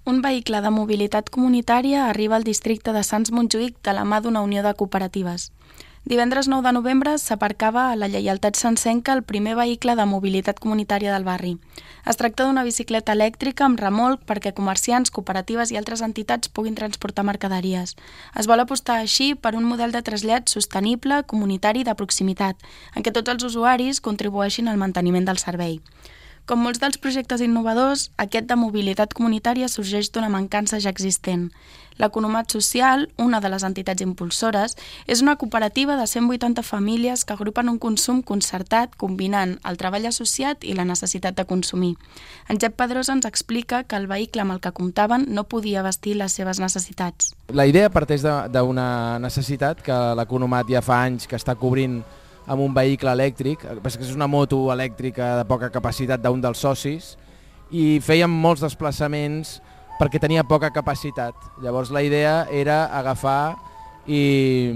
Un vehicle de mobilitat comunitària arriba al districte de Sants Montjuïc de la mà d'una unió de cooperatives. Divendres 9 de novembre s'aparcava a la Lleialtat Santsenca el primer vehicle de mobilitat comunitària del barri. Es tracta d'una bicicleta elèctrica amb remolc perquè comerciants, cooperatives i altres entitats puguin transportar mercaderies. Es vol apostar així per un model de trasllat sostenible, comunitari i de proximitat, en què tots els usuaris contribueixin al manteniment del servei. Com molts dels projectes innovadors, aquest de mobilitat comunitària sorgeix d'una mancança ja existent. L'Economat Social, una de les entitats impulsores, és una cooperativa de 180 famílies que agrupen un consum concertat combinant el treball associat i la necessitat de consumir. En Jep Pedrosa ens explica que el vehicle amb el que comptaven no podia vestir les seves necessitats. La idea parteix d'una necessitat que l'Economat ja fa anys que està cobrint amb un vehicle elèctric, que és una moto elèctrica de poca capacitat d'un dels socis, i fèiem molts desplaçaments perquè tenia poca capacitat. Llavors la idea era agafar i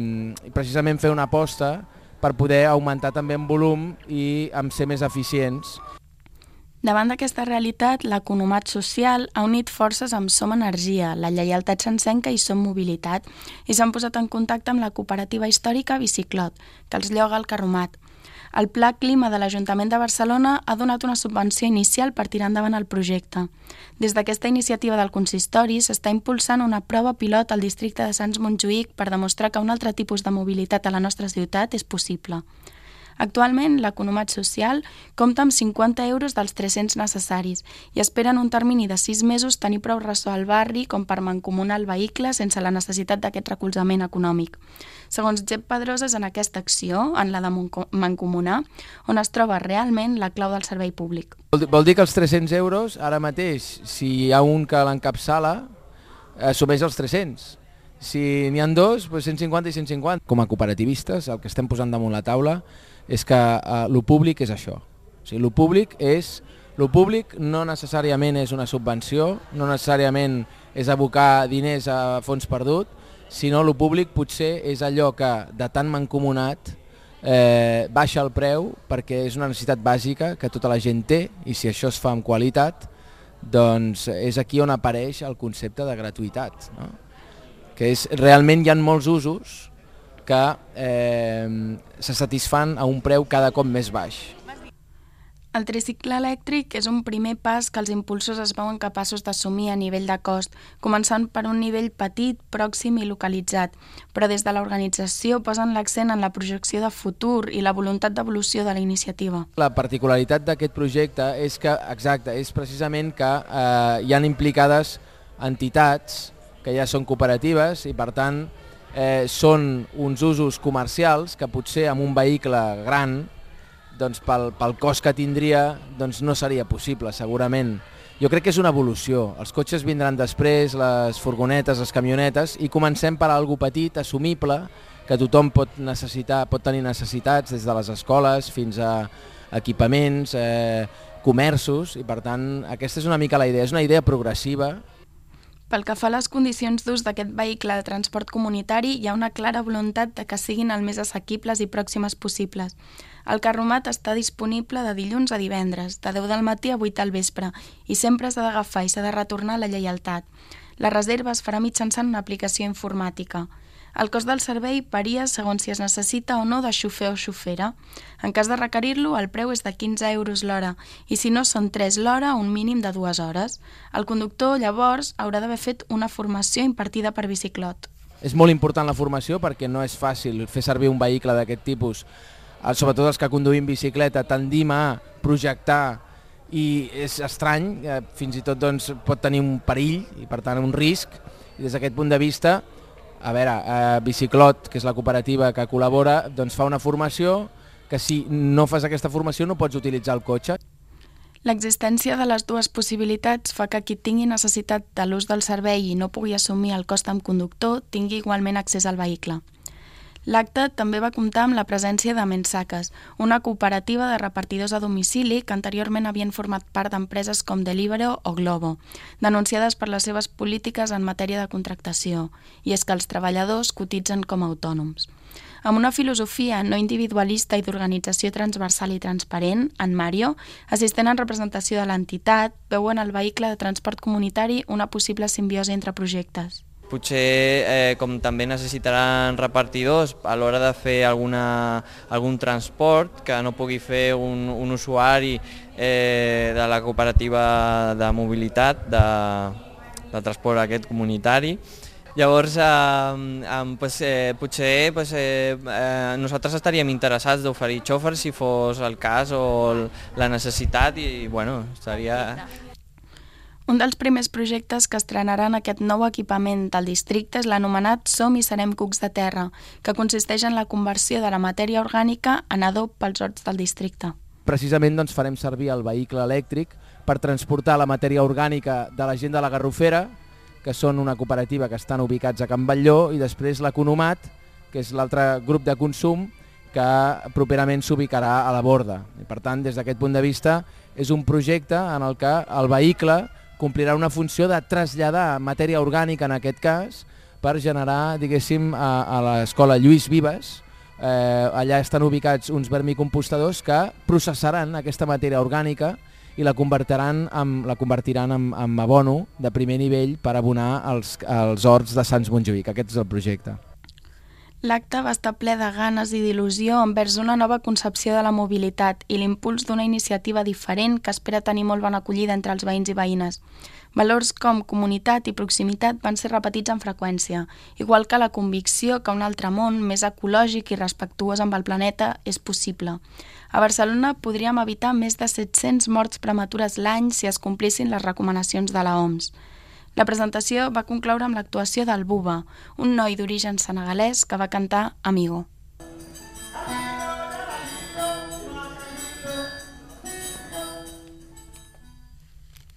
precisament fer una aposta per poder augmentar també en volum i en ser més eficients. Davant d'aquesta realitat, l'Economat Social ha unit forces amb Som Energia, la Lleialtat Santsenca i Som Mobilitat i s'han posat en contacte amb la cooperativa històrica Biciclot, que els lloga al Carromat. El Pla Clima de l'Ajuntament de Barcelona ha donat una subvenció inicial per tirar endavant el projecte. Des d'aquesta iniciativa del consistori s'està impulsant una prova pilot al districte de Sants Montjuïc per demostrar que un altre tipus de mobilitat a la nostra ciutat és possible. Actualment, l'Economat Social compta amb 50 euros dels 300 necessaris i espera en un termini de 6 mesos tenir prou ressò al barri com per mancomunar el vehicle sense la necessitat d'aquest recolzament econòmic. Segons Jep Pedrosa, és en aquesta acció, en la de mancomunar, on es troba realment la clau del servei públic. Vol dir que els 300 euros, ara mateix, si hi ha un que l'encapçala, assumeix els 300. Si n'hi ha dos, doncs 150 i 150. Com a cooperativistes, el que estem posant damunt la taula és que lo públic és això. O sigui, lo públic no necessàriament és una subvenció, no necessàriament és abocar diners a fons perdut, sinó lo públic potser és allò que de tan mancomunat baixa el preu perquè és una necessitat bàsica que tota la gent té i si això es fa amb qualitat, doncs és aquí on apareix el concepte de gratuïtat, no? Que realment hi ha molts usos que se satisfan a un preu cada cop més baix. El tricicle elèctric és un primer pas que els impulsors es veuen capaços d'assumir a nivell de cost, començant per un nivell petit, pròxim i localitzat, però des de l'organització posen l'accent en la projecció de futur i la voluntat d'evolució de la iniciativa. La particularitat d'aquest projecte és que, exacte, és precisament que hi han implicades entitats que ja són cooperatives i per tant són uns usos comercials que potser amb un vehicle gran doncs pel cost que tindria doncs no seria possible segurament. Jo crec que és una evolució, els cotxes vindran després, les furgonetes, les camionetes i comencem per algo petit, assumible, que tothom pot tenir necessitats des de les escoles fins a equipaments, comerços i per tant aquesta és una mica la idea, és una idea progressiva. Pel que fa a les condicions d'ús d'aquest vehicle de transport comunitari, hi ha una clara voluntat de que siguin el més assequibles i pròximes possibles. El Carromat està disponible de dilluns a divendres, de 10 del matí a 8 del vespre, i sempre s'ha d'agafar i s'ha de retornar a la Lleialtat. La reserva es farà mitjançant una aplicació informàtica. El cost del servei varia segons si es necessita o no de xofer o xofera. En cas de requerir-lo, el preu és de 15 euros l'hora i si no són 3 l'hora, un mínim de 2 hores. El conductor, llavors, haurà d'haver fet una formació impartida per Biciclot. És molt important la formació perquè no és fàcil fer servir un vehicle d'aquest tipus. Sobretot els que conduïm bicicleta tendim a projectar i és estrany, fins i tot doncs, pot tenir un perill i per tant un risc i des d'aquest punt de vista a veure, Biciclot, que és la cooperativa que col·labora, doncs fa una formació que si no fas aquesta formació no pots utilitzar el cotxe. L'existència de les dues possibilitats fa que qui tingui necessitat de l'ús del servei i no pugui assumir el cost amb conductor tingui igualment accés al vehicle. L'acte també va comptar amb la presència de Mensaques, una cooperativa de repartidors a domicili que anteriorment havien format part d'empreses com Deliveroo o Glovo, denunciades per les seves polítiques en matèria de contractació, i és que els treballadors cotitzen com a autònoms. Amb una filosofia no individualista i d'organització transversal i transparent, en Mario, assistent en representació de l'entitat, veu en el vehicle de transport comunitari una possible simbiosi entre projectes. Potser, com també necessitaran repartidors a l'hora de fer algun transport que no pugui fer un usuari de la cooperativa de mobilitat, de transport aquest comunitari. Llavors, potser nosaltres estaríem interessats d'oferir xòfers si fos el cas o la necessitat i estaria... Un dels primers projectes que estrenaran aquest nou equipament del districte és l'anomenat Som i serem cucs de terra, que consisteix en la conversió de la matèria orgànica en adob pels horts del districte. Precisament farem servir el vehicle elèctric per transportar la matèria orgànica de la gent de la Garrofera, que són una cooperativa que estan ubicats a Can Batlló, i després l'Economat, que és l'altre grup de consum que properament s'ubicarà a la Borda. I per tant, des d'aquest punt de vista, és un projecte en el que el vehicle complirà una funció de traslladar matèria orgànica, en aquest cas, per generar, diguéssim, a l'escola Lluís Vives. Allà estan ubicats uns vermicompostadors que processaran aquesta matèria orgànica i la convertiran en abono de primer nivell per abonar els horts de Sants Montjuïc. Aquest és el projecte. L'acte va estar ple de ganes i d'il·lusió envers una nova concepció de la mobilitat i l'impuls d'una iniciativa diferent que espera tenir molt bona acollida entre els veïns i veïnes. Valors com comunitat i proximitat van ser repetits amb freqüència, igual que la convicció que un altre món més ecològic i respectuós amb el planeta és possible. A Barcelona podríem evitar més de 700 morts prematures l'any si es complissin les recomanacions de l'OMS. La presentació va concloure amb l'actuació del Buba, un noi d'origen senegalès que va cantar Amigo.